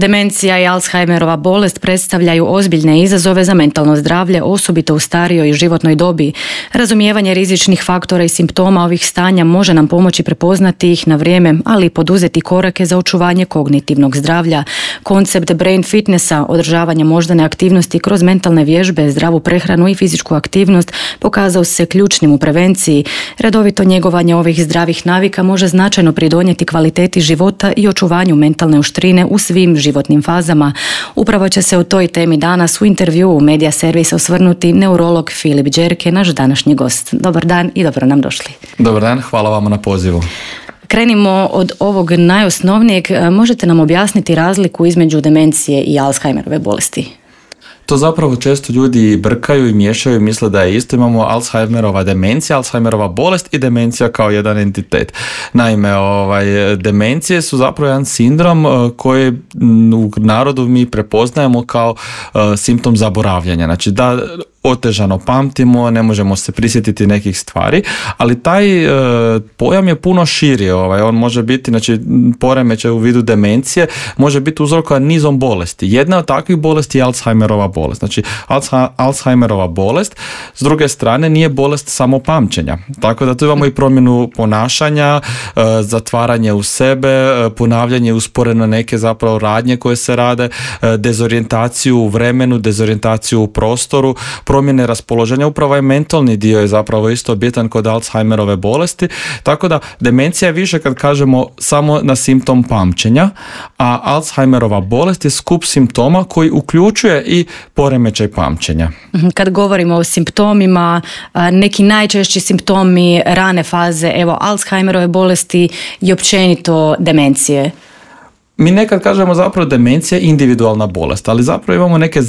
Demencija i Alzheimerova bolest predstavljaju ozbiljne izazove za mentalno zdravlje, osobito u starijoj i životnoj dobi. Razumijevanje rizičnih faktora i simptoma ovih stanja može nam pomoći prepoznati ih na vrijeme, ali i poduzeti korake za očuvanje kognitivnog zdravlja. Koncept brain fitnessa, održavanje moždane aktivnosti kroz mentalne vježbe, zdravu prehranu i fizičku aktivnost pokazao se ključnim u prevenciji. Redovito njegovanje ovih zdravih navika može značajno pridonijeti kvaliteti života i očuvanju mentalne oštrine u svim životnim fazama. Upravo će se o toj temi danas u intervjuu u Media Servisa osvrnuti neurolog Filip Đerke, naš današnji gost. Dobar dan i dobro nam došli. Dobar dan, hvala vama na pozivu. Krenimo od ovog najosnovnijeg. Možete nam objasniti razliku između demencije i Alzheimerove bolesti? To zapravo često ljudi brkaju i miješaju i misle da je isto. Imamo Alzheimerova demencija, Alzheimerova bolest i demencija kao jedan entitet. Naime, demencije su zapravo jedan sindrom koji u narodu mi prepoznajemo kao simptom zaboravljanja. Znači da otežano pamtimo, ne možemo se prisjetiti nekih stvari, ali taj pojam je puno širi. On može biti, znači poremećaj u vidu demencije, može biti uzrokovan nizom bolesti. Jedna od takvih bolesti je Alzheimerova bolest. Znači Alzheimerova bolest, s druge strane, nije bolest samo pamćenja. Tako da tu imamo i promjenu ponašanja, zatvaranje u sebe, ponavljanje usporeno neke zapravo radnje koje se rade, dezorijentaciju u vremenu, dezorijentaciju u prostoru, promjene raspoloženja. Upravo je mentalni dio je zapravo isto bitan kod Alzheimerove bolesti, tako da demencija je više kad kažemo samo na simptom pamćenja, a Alzheimerova bolest je skup simptoma koji uključuje i poremećaj pamćenja. Kad govorimo o simptomima, neki najčešći simptomi rane faze, Alzheimerove bolesti i općenito demencije. Mi nekad kažemo zapravo demencija je individualna bolest, ali zapravo imamo neke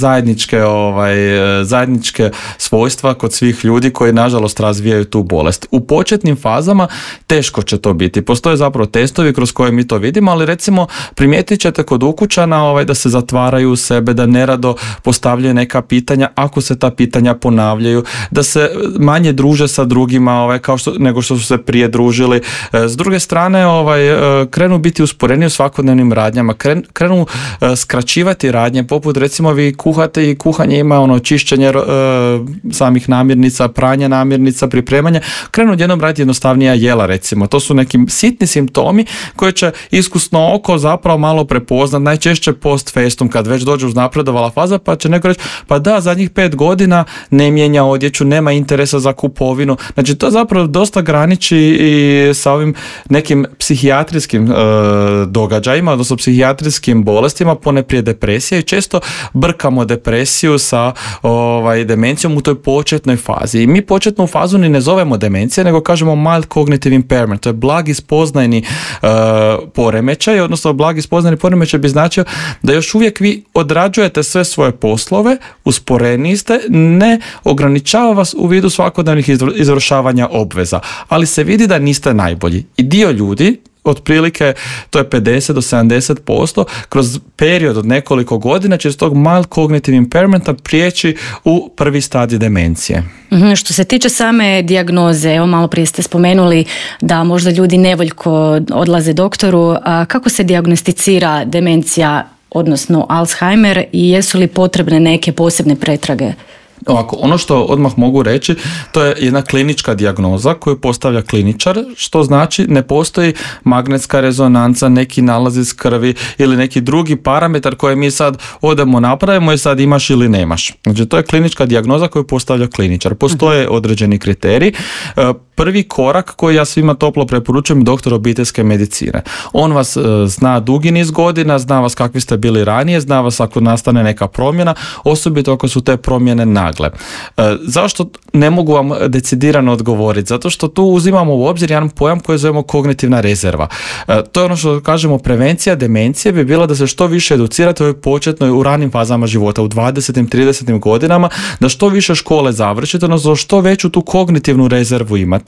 zajedničke svojstva kod svih ljudi koji nažalost razvijaju tu bolest. U početnim fazama teško će to biti. Postoje zapravo testovi kroz koje mi to vidimo, ali recimo primijetit ćete kod ukućana da se zatvaraju u sebe, da nerado postavljaju neka pitanja, ako se ta pitanja ponavljaju, da se manje druže sa drugima nego što su se prije družili. S druge strane krenu biti usporeni u svakodnevnim radnjama, krenu skraćivati radnje, poput recimo vi kuhate i kuhanje ima čišćenje samih namirnica, pranje namirnica, pripremanje, krenu odjednom raditi jednostavnija jela recimo. To su neki sitni simptomi koje će iskusno oko zapravo malo prepoznat, najčešće post festum, kad već dođe uznapredovala faza, pa će neko reći, pa da, zadnjih 5 godina ne mijenja odjeću, nema interesa za kupovinu. Znači to zapravo dosta graniči i sa ovim nekim psihijatrijskim događajima, odnosno psihijatrijskim bolestima, poneprije depresija, i često brkamo depresiju sa demencijom u toj početnoj fazi. I mi početnu fazu ni ne zovemo demencija, nego kažemo mild cognitive impairment. To je blagi spoznajni poremećaj, odnosno blagi spoznajni poremećaj bi značio da još uvijek vi odrađujete sve svoje poslove, usporeni ste, ne ograničava vas u vidu svakodnevnih izvršavanja obveza, ali se vidi da niste najbolji. I dio ljudi, otprilike to je 50 do 70%, kroz period od nekoliko godina će iz tog mild cognitive impairmenta prijeći u prvi stadij demencije. Što se tiče same dijagnoze, malo prije ste spomenuli da možda ljudi nevoljko odlaze doktoru. Kako se dijagnosticira demencija, odnosno Alzheimer, i jesu li potrebne neke posebne pretrage? Ovako, ono što odmah mogu reći, to je jedna klinička dijagnoza koju postavlja kliničar, što znači ne postoji magnetska rezonanca, neki nalaz iz krvi ili neki drugi parametar koji mi sad odemo napravimo i sad imaš ili nemaš. Znači to je klinička dijagnoza koju postavlja kliničar. Postoje određeni kriteriji. Prvi korak koji ja svima toplo preporučujem je doktor obiteljske medicine. On vas zna dugi niz godina, zna vas kakvi ste bili ranije, zna vas ako nastane neka promjena, osobito ako su te promjene nagle. Zašto ne mogu vam decidirano odgovoriti? Zato što tu uzimamo u obzir jedan pojam koji zovemo kognitivna rezerva. To je ono što kažemo prevencija demencije bi bila da se što više educirate u ovoj početnoj, u ranim fazama života, u 20. 30. godinama, da što više škole završite, odnosno što veću tu kognitivnu rezervu imate.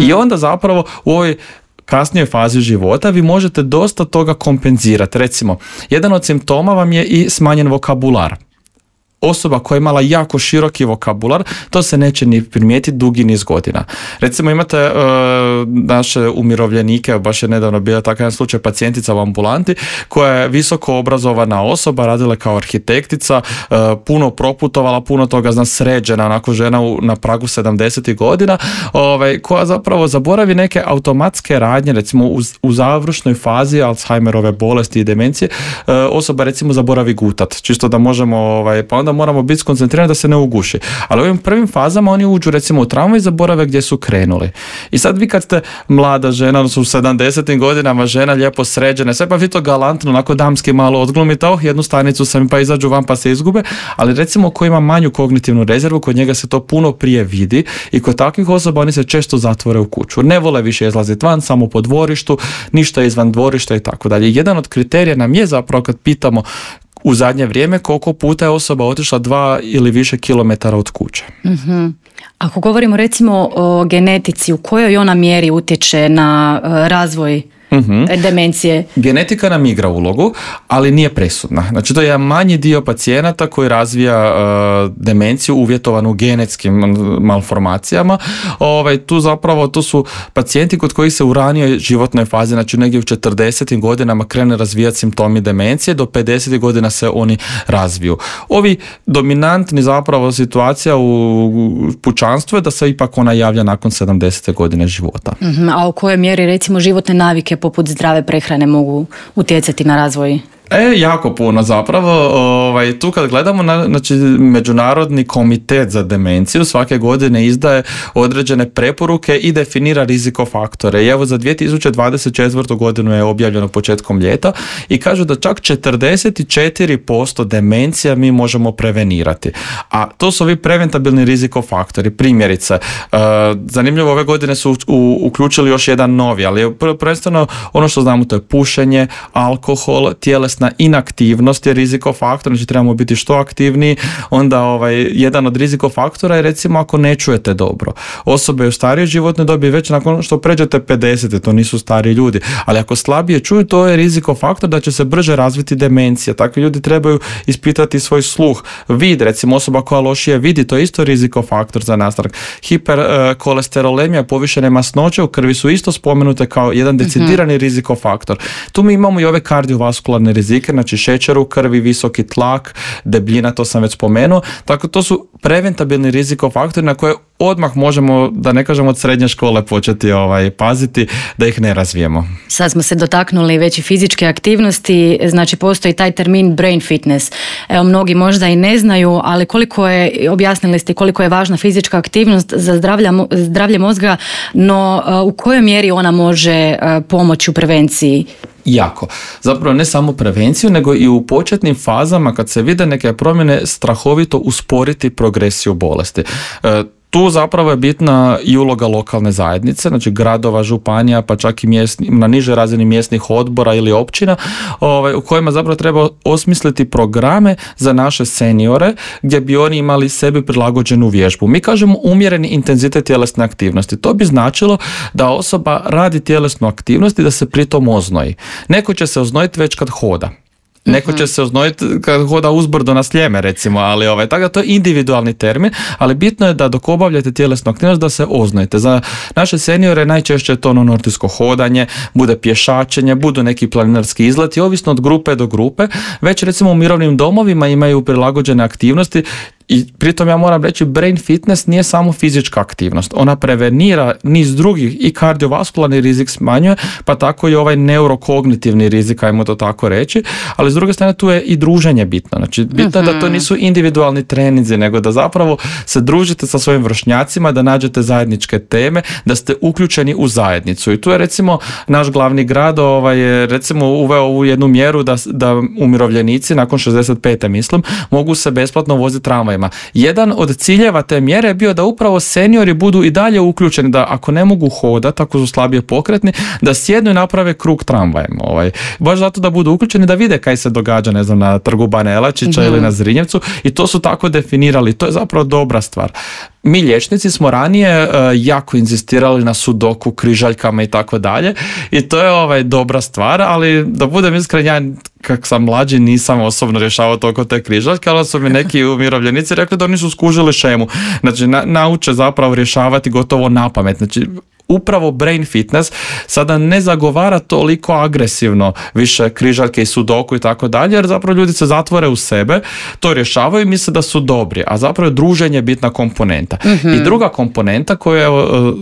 I onda zapravo u ovoj kasnijoj fazi života vi možete dosta toga kompenzirati. Recimo, jedan od simptoma vam je i smanjen vokabular. osoba koja je imala jako široki vokabular, to se neće ni primijetiti dugi niz godina. Recimo imate naše umirovljenike, baš je nedavno bio takav jedan slučaj pacijentica u ambulanti koja je visoko obrazovana osoba, radila kao arhitektica, puno proputovala, puno toga zna, sređena, onako žena na pragu 70 godina, koja zapravo zaboravi neke automatske radnje, recimo u završnoj fazi Alzheimerove bolesti i demencije, osoba recimo zaboravi gutat, čisto da možemo, pa onda moramo biti skoncentrirani da se ne uguši. Ali u ovim prvim fazama oni uđu recimo u traumu i zaborave gdje su krenuli. I sad vi kad ste mlada žena, odnosno u 70. godinama žena lijepo sređena, sve pa vi to galantno, onako damski malo odglumite, jednu stanicu sam pa izađu van pa se izgube, ali recimo ko ima manju kognitivnu rezervu, kod njega se to puno prije vidi i kod takvih osoba oni se često zatvore u kuću. Ne vole više izlaziti van, samo po dvorištu, ništa izvan dvorišta i tako dalje. Jedan od kriterija nam je zapravo kad pitamo u zadnje vrijeme koliko puta je osoba otišla 2 ili više kilometara od kuće. Mm-hmm. Ako govorimo recimo o genetici, u kojoj ona mjeri utječe na razvoj demencije? Genetika nam igra ulogu, ali nije presudna. Znači to je manji dio pacijenata koji razvija demenciju uvjetovanu genetskim malformacijama. Tu su pacijenti kod kojih se u ranijoj životnoj fazi, znači negdje u 40. godinama krene razvijati simptomi demencije, do 50. godina se oni razviju. Ovi dominantni zapravo situacija u pučanstvu je da se ipak ona javlja nakon 70. godine života. A u kojoj mjeri recimo životne navike poput zdrave prehrane mogu utjecati na razvoj? Jako puno zapravo. Tu kad gledamo, znači Međunarodni komitet za demenciju svake godine izdaje određene preporuke i definira rizikofaktore. I evo za 2024. godinu je objavljeno početkom ljeta i kažu da čak 44% demencija mi možemo prevenirati. A to su ovi preventabilni rizikofaktori. Primjerice, zanimljivo, ove godine su uključili još jedan novi, ali prvenstveno ono što znamo to je pušenje, alkohol, tjelesna inaktivnost je rizikofaktor, znači trebamo biti što aktivniji. Onda jedan od rizikofaktora je recimo ako ne čujete dobro. Osobe u starijoj životnoj dobi već nakon što pređete 50, to nisu stari ljudi, ali ako slabije čuju, to je rizikofaktor da će se brže razviti demencija. Takvi ljudi trebaju ispitati svoj sluh. Vid, recimo osoba koja lošije vidi, to je isto rizikofaktor za nastanak. Hiperkolesterolemija, povišene masnoće u krvi su isto spomenute kao jedan decidirani rizikofaktor. Tu mi imamo i ove kardiovaskularne rizike, znači šećer u krvi, visoki tlak, debljina, to sam već spomenuo. Tako to su preventabilni rizikofaktori na koje odmah možemo, da ne kažemo od srednje škole, početi paziti da ih ne razvijemo. Sad smo se dotaknuli već i fizičke aktivnosti, znači postoji taj termin brain fitness. Evo, mnogi možda i ne znaju, ali objasnili ste koliko je važna fizička aktivnost za zdravlje mozga, no u kojoj mjeri ona može pomoći u prevenciji? Jako. Zapravo ne samo prevenciju, nego i u početnim fazama kad se vide neke promjene strahovito usporiti progresiju bolesti. Tu zapravo je bitna i uloga lokalne zajednice, znači gradova, županija, pa čak i na nižoj razini mjesnih odbora ili općina, u kojima zapravo treba osmisliti programe za naše seniore gdje bi oni imali sebi prilagođenu vježbu. Mi kažemo umjereni intenzitet tjelesne aktivnosti. To bi značilo da osoba radi tjelesnu aktivnost i da se pritom oznoji. Neko će se oznojiti već kad hoda. Neko će se oznojiti kad hoda uzbrdo na Sljeme, recimo, ali tako da to je individualni termin, ali bitno je da dok obavljate tjelesnu aktivnost da se oznojite. Za naše seniore najčešće je to nordijsko hodanje, bude pješačenje, budu neki planinarski izleti, ovisno od grupe do grupe. Već recimo u mirovnim domovima imaju prilagođene aktivnosti. I pritom ja moram reći, brain fitness nije samo fizička aktivnost. Ona prevenira niz drugih i kardiovaskularni rizik smanjuje, pa tako i ovaj neurokognitivni rizik, ajmo to tako reći. Ali s druge strane tu je i druženje bitno. Znači bitno je da to nisu individualni treninzi, nego da zapravo se družite sa svojim vršnjacima, da nađete zajedničke teme, da ste uključeni u zajednicu. I tu je recimo naš glavni grad je recimo uveo ovu jednu mjeru da umirovljenici nakon 65. mislim mogu se besplatno voziti tramvajima. Jedan od ciljeva te mjere je bio da upravo seniori budu i dalje uključeni, da ako ne mogu hodati, ako su slabije pokretni, da sjednu i naprave krug tramvajem. Baš zato da budu uključeni, da vide kaj se događa, ne znam, na Trgu Bana Jelačića ili na Zrinjevcu, i to su tako definirali. To je zapravo dobra stvar. Mi liječnici smo ranije jako inzistirali na sudoku, križaljkama i tako dalje, i to je dobra stvar, ali da budem iskren, ja kak sam mlađi nisam osobno rješavao toliko te križaljke, ali su mi neki umirovljenici rekli da oni su skužili šemu. Znači, nauče zapravo rješavati gotovo napamet. Znači, upravo brain fitness sada ne zagovara toliko agresivno više križaljke i sudoku i tako dalje, jer zapravo ljudi se zatvore u sebe, to rješavaju i misle da su dobri, a zapravo je druženje bitna komponenta. I druga komponenta koju,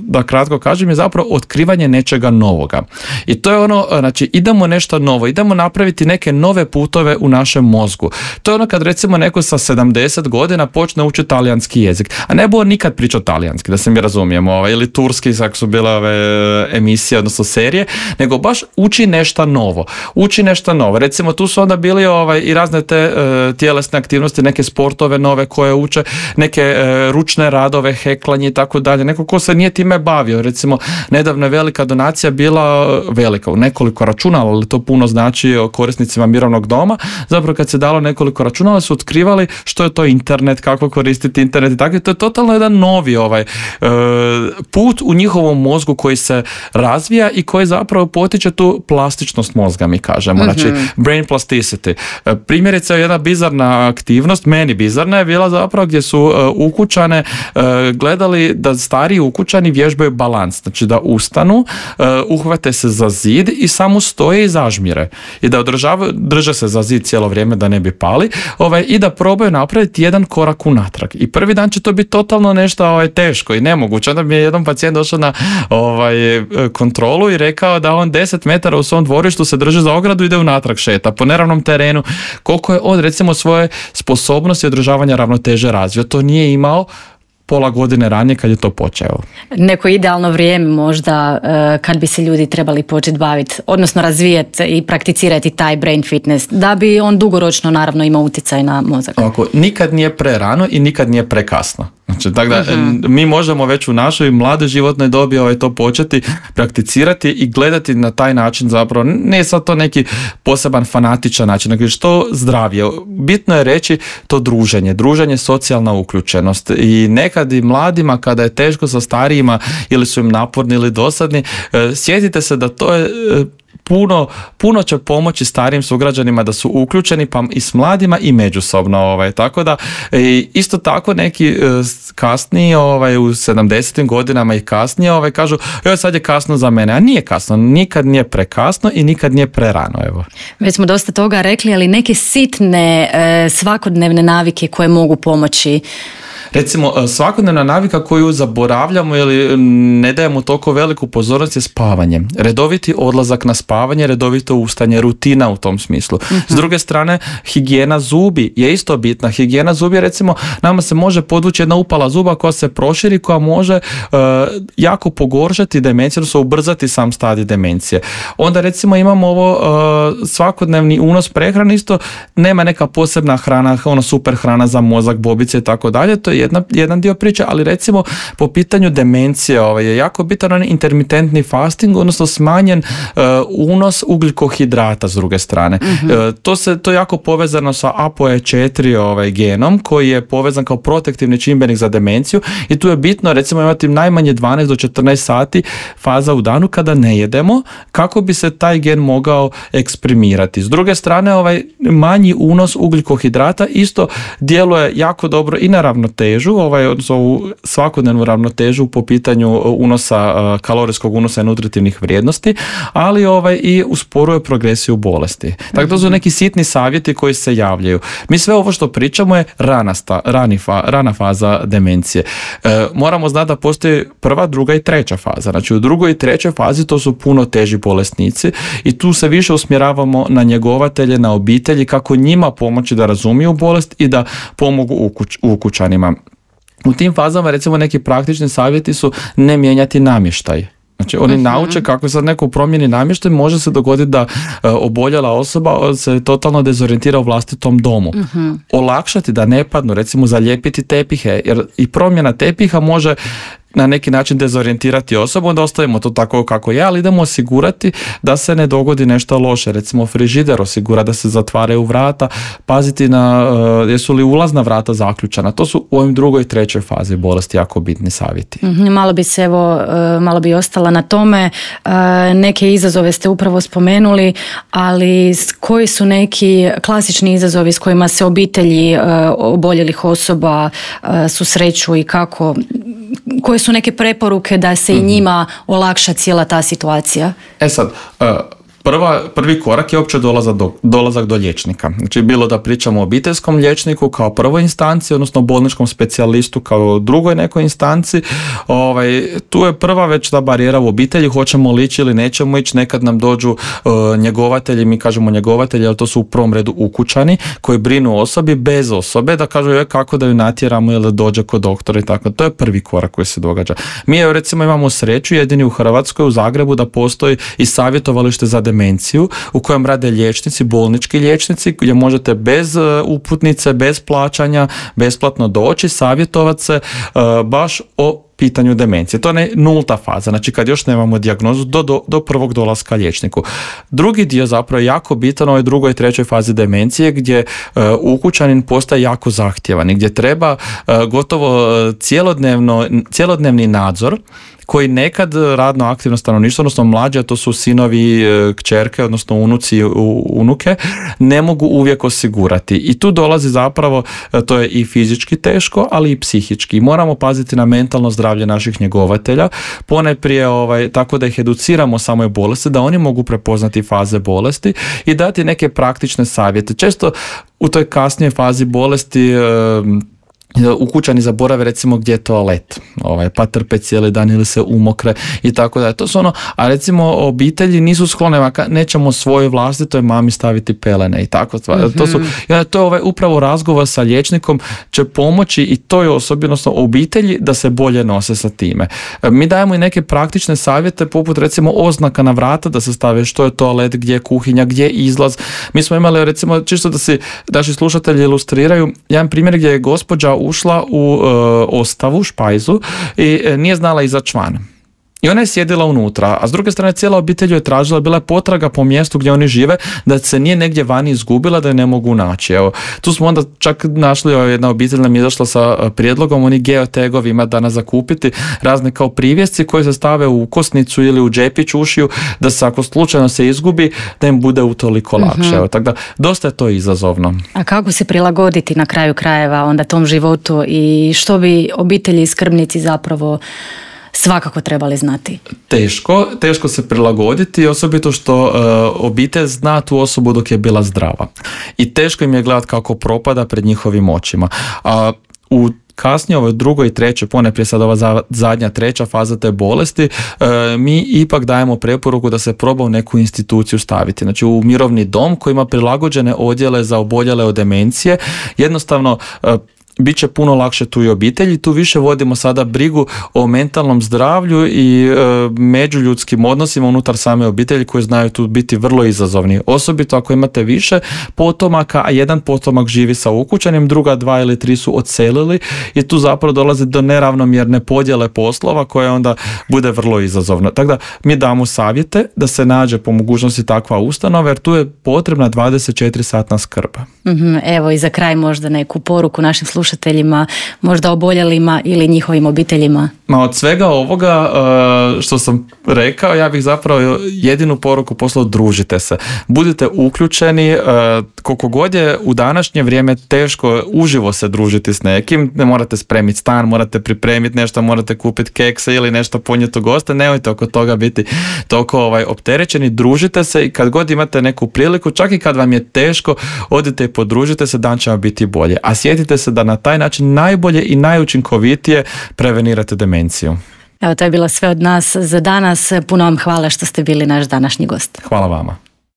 da kratko kažem, je zapravo otkrivanje nečega novoga. I to je ono, znači, idemo nešto novo, idemo napraviti neke nove putove u našem mozgu. To je ono kad recimo neko sa 70 godina počne učiti talijanski jezik, a ne bude nikad pričao talijanski, da se mi razumijemo, ili turski, kako su bile ove emisije, odnosno serije, nego baš uči nešto novo. Recimo, tu su onda bili i razne te tjelesne aktivnosti, neke sportove nove koje uče, neke ručne radove, heklanje i tako dalje. Neko ko se nije time bavio. Recimo, nedavno je velika donacija bila velika, u nekoliko računala, ali to puno znači o korisnicima mirovnog doma. Zapravo kad se dalo nekoliko računala su otkrivali što je to internet, kako koristiti internet i tako. To je totalno jedan novi put u njihovom mozgu koji se razvija i koji zapravo potiče tu plastičnost mozga, mi kažemo. Znači, brain plasticity. Primjerice, jedna bizarna aktivnost, meni bizarna, je bila zapravo gdje su ukućane gledali da stariji ukućani vježbaju balans. Znači, da ustanu, uhvate se za zid i samo stoje i zažmire. I da drže se za zid cijelo vrijeme da ne bi pali, i da probaju napraviti jedan korak unatrag. I prvi dan će to biti totalno nešto teško i nemoguće. Onda mi je jedan pacijent došao na kontrolu i rekao da on 10 metara u svom dvorištu se drži za ogradu i ide unatrag, šeta po neravnom terenu. Koliko je on, recimo, svoje sposobnosti održavanja ravnoteže razvio, to nije imao pola godine ranije kad je to počeo. Neko idealno vrijeme možda kad bi se ljudi trebali početi baviti, odnosno razvijati i prakticirati taj brain fitness, da bi on dugoročno naravno imao utjecaj na mozak. Nikad nije prerano i nikad nije prekasno. Znači, tako da mi možemo već u našoj mladoj životnoj dobi to početi prakticirati i gledati na taj način, zapravo ne sad to neki poseban fanatičan način, nego što zdravije. Bitno je reći to druženje, socijalna uključenost, i nekad i mladima kada je teško sa starijima ili su im naporni ili dosadni, sjetite se da to je puno će pomoći starijim sugrađanima da su uključeni, pa i s mladima i međusobno. Tako da isto tako neki kasniji u 70. godinama i kasnije kažu, sad je kasno za mene, a nije kasno, nikad nije prekasno i nikad nije prerano. Već smo dosta toga rekli, ali neke sitne svakodnevne navike koje mogu pomoći. Recimo, svakodnevna navika koju zaboravljamo ili ne dajemo toliko veliku pozornost je spavanje. Redoviti odlazak na spavanje, redovito ustaње, rutina u tom smislu. S druge strane, higijena zubi je isto bitna. Higijena zubi, recimo, nama se može podvući jedna upala zuba koja se proširi, koja može jako pogoršati demenciju, odnosno ubrzati sam stadij demencije. Onda, recimo, imamo ovo svakodnevni unos prehrane, isto nema neka posebna hrana, super hrana za mozak, bobice i tako dalje. To je jedan dio priče, ali recimo po pitanju demencije je jako bitan intermitentni fasting, odnosno smanjen unos ugljikohidrata s druge strane. To je jako povezano sa ApoE4 genom koji je povezan kao protektivni čimbenik za demenciju, i tu je bitno recimo imati najmanje 12 do 14 sati faza u danu kada ne jedemo, kako bi se taj gen mogao eksprimirati. S druge strane, manji unos ugljikohidrata isto djeluje jako dobro i na ravnotežu, odnosno u svakodnevnu ravnotežu po pitanju unosa, kalorijskog unosa i nutritivnih vrijednosti, ali i usporuje progresiju bolesti. Tako to su neki sitni savjeti koji se javljaju. Mi sve ovo što pričamo je rana faza demencije. Moramo znati da postoji prva, druga i treća faza. Znači, u drugoj i trećoj fazi to su puno teži bolesnici i tu se više usmjeravamo na njegovatelje, na obitelji, kako njima pomoći da razumiju bolest i da pomogu ukućanima. U tim fazama, recimo, neki praktični savjeti su ne mijenjati namještaj. Znači, oni nauče kako sad neko promijeni namještaj, može se dogoditi da oboljela osoba se totalno dezorientira u vlastitom domu. Olakšati da ne padnu, recimo zalijepiti tepihe, jer i promjena tepiha može na neki način dezorijentirati osobu, onda ostavimo to tako kako je, ali idemo osigurati da se ne dogodi nešto loše. Recimo frižider osigura da se zatvaraju vrata, paziti na jesu li ulazna vrata zaključana. To su u ovim drugoj i trećoj fazi bolesti jako bitni savjeti. Malo bi ostala na tome. Neke izazove ste upravo spomenuli, ali koji su neki klasični izazovi s kojima se obitelji oboljelih osoba susreću i kako, koje su neke preporuke da se i njima olakša cijela ta situacija? Sad, prvi korak je uopće dolazak do liječnika. Znači bilo da pričamo o obiteljskom liječniku kao prvoj instanci, odnosno bolničkom specijalistu kao drugoj nekoj instanci. Tu je prva već ta barijera u obitelji, hoćemo li ići ili nećemo ići. Nekad nam dođu njegovatelji, mi kažemo njegovatelji, ali to su u prvom redu ukućani koji brinu o osobi bez osobe, da kažu kako da ju natjeramo ili da dođe kod doktora i tako. To je prvi korak koji se događa. Mi recimo imamo sreću jedini u Hrvatskoj, u Zagrebu, da postoji i savjetovalište za demenciju u kojem rade liječnici, bolnički liječnici, gdje možete bez uputnice, bez plaćanja, besplatno doći, savjetovati se baš o pitanju demencije. To je nulta faza, znači kad još nemamo dijagnozu do prvog dolaska liječniku. Drugi dio zapravo je jako bitan u ovoj drugoj i trećoj fazi demencije gdje ukućanin postaje jako zahtjevan i gdje treba gotovo cjelodnevni nadzor koji nekad radno aktivno stanovništvo, odnosno mlađe, a to su sinovi, kćerke, odnosno unuci, unuke, ne mogu uvijek osigurati. I tu dolazi zapravo, to je i fizički teško, ali i psihički. I moramo paziti na mentalno zdravlje naših njegovatelja, ponajprije tako da ih educiramo o samoj bolesti, da oni mogu prepoznati faze bolesti i dati neke praktične savjete. Često u toj kasnijoj fazi bolesti ukućani zaborave recimo gdje je toalet, pa trpe cijeli dan ili se umokre i tako da. To su a recimo obitelji nisu sklone, nećemo svojoj vlastitoj mami staviti pelene i tako. To je upravo razgovor sa liječnikom će pomoći i toj osobi, odnosno obitelji, da se bolje nose sa time. Mi dajemo i neke praktične savjete poput recimo oznaka na vrata da se stave što je toalet, gdje je kuhinja, gdje je izlaz. Mi smo imali recimo, čisto da si naši slušatelji ilustriraju, jedan primjer gdje je gospođa ušla u ostavu, špajzu i nije znala izaći van. I ona je sjedila unutra, a s druge strane cijela obitelj je tražila, bila je potraga po mjestu gdje oni žive, da se nije negdje vani izgubila, da je ne mogu naći. Evo, tu smo onda čak našli, jedna obitelj nam je izašla sa prijedlogom, oni geotegovi ima danas zakupiti, razne kao privjesci koji se stave u kosnicu ili u džepić ušiju, da se ako slučajno se izgubi, da im bude utoliko lakše. Evo, tako da, dosta je to izazovno. A kako se prilagoditi na kraju krajeva onda tom životu i što bi obitelji i skrbnici zapravo svakako trebali znati? Teško se prilagoditi, osobito što obitelj zna tu osobu dok je bila zdrava. I teško im je gledati kako propada pred njihovim očima. A u kasnije, ovoj drugoj i trećoj, ponajprije sad ova zadnja treća faza te bolesti, mi ipak dajemo preporuku da se proba u neku instituciju staviti. Znači u mirovni dom koji ima prilagođene odjele za oboljele od demencije, jednostavno bit će puno lakše tu i obitelji. Tu više vodimo sada brigu o mentalnom zdravlju i međuljudskim odnosima unutar same obitelji koji znaju tu biti vrlo izazovni. Osobito ako imate više potomaka, a jedan potomak živi sa ukućanim, druga 2 ili 3 su odselili i tu zapravo dolazi do neravnomjerne podjele poslova koje onda bude vrlo izazovno. Tako da mi damo savjete da se nađe po mogućnosti takva ustanova jer tu je potrebna 24-satna skrb. Evo i za kraj možda neku poruku našim slušateljima, možda oboljelima ili njihovim obiteljima. Od svega ovoga što sam rekao, ja bih zapravo jedinu poruku poslao: družite se. Budite uključeni, koliko god je u današnje vrijeme teško uživo se družiti s nekim, ne morate spremiti stan, morate pripremiti nešto, morate kupiti kekse ili nešto ponijeti u goste, nemojte oko toga biti toliko opterećeni, družite se i kad god imate neku priliku, čak i kad vam je teško, odite i podružite se, dan će vam biti bolje. A sjetite se da na taj način najbolje i najučinkovitije prevenirate demenciju. Evo, to je bilo sve od nas za danas. Puno vam hvala što ste bili naš današnji gost. Hvala vama.